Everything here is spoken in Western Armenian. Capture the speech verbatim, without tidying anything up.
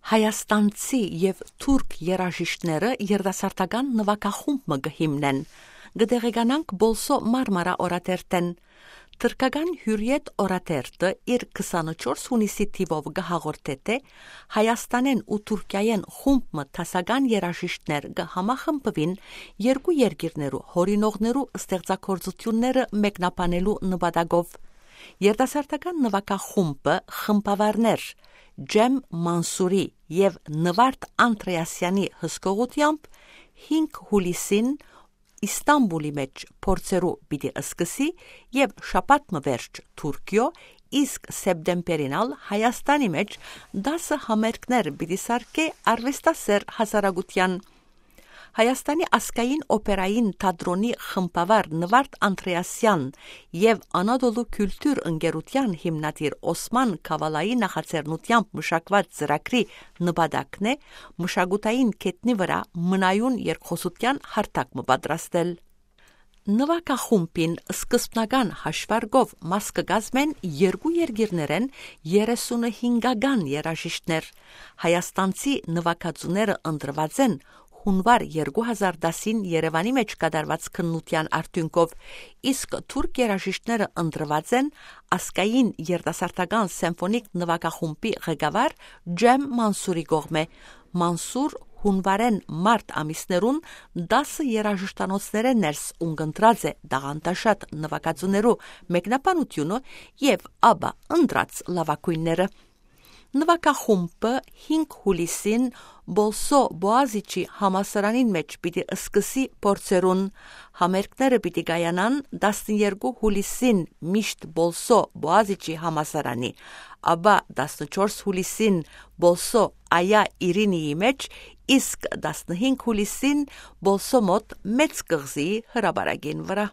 Հայաստանցի եւ թուրք երաժիշտները երիտասարդական նուագախումբ մը կը հիմնեն։ Կը տեղեկանանք Բոլսո Մարմարա օրաթերթէն։ Թրքական Հիւրիեթ օրաթերթը իր քսանչորս յունիսի թիւով կը հաղորդէ, թէ Հայաստանէն ու Թուրքիայէն խումբ մը դասական երաժիշտներ կը համախմբուին երկու երկիրներու յորինողներու ստեղծագործութիւնները մեկնաբանելու նպատակով։ Երիտասարդական նուագախումբը խմբավարներ Ջեմ Մանսուրի եւ Նվարդ Անդրեասյանի հսկողութեամբ հինգ յուլիսին Իստանպուլի մէջ փորձերու պիտի սկսի եւ շաբաթ մը վերջ Թուրքիոյ, իսկ սեպտեմբերին ալ Հայաստանի մէջ դասը համերգներ պիտի սարքէ արուեստասէր հասարակութեան։ Հայաստանի ազգային օպերային թատրոնի խմբավար Նվարդ Անդրեասեան եւ Անատոլու քիւլթուր ընկերութեան հիմնադիր Օսման Քավալայի նախաձեռնութեամբ մշակուած ծրագրի նպատակն է մշակութային գետնի վրայ մնայուն երկխօսութեան հարթակ մը պատրաստել։ Նուագախումբին սկզբնական հաշուարկով մաս կը կազմեն երկու երկիրներէն երեսունհինգական երաժիշտներ։ Հայաստանցի նուագածուները ընտրուած են յունուար երկու հազար տասին Երեւանի մէջ կատարուած քննութեան արդիւնքով, իսկ թուրք երաժիշտները ընտրուած են ազգային երիտասարդական սեմֆոնիկ նուագախումբի ղեկավար Ջեմ Մանսուրի կողմէ։ Մանսուր յունուարէն մարտ ամիսներուն տասը երաժշտանոցներէն ներս ունկնդրած է տաղանդաշատ նուագածուներու մեկնաբանութիւնը եւ ապա ընտրած լաւագոյնները։ Նուագախումբը հինգ յուլիսին Բոլսո Բոազիչի համալսարանին մէջ պիտի սկսի փորձերուն։ Համերգները պիտի կայանան տասներկու յուլիսին միշտ Բոլսո Բոազիչի համալսարանի, ապա տասնչորս յուլիսին Բոլսո Այա Իրինիի մէջ, իսկ տասնհինգ յուլիսին Բոլսո մօտ Մեծ կղզիի հրապարակին վրայ։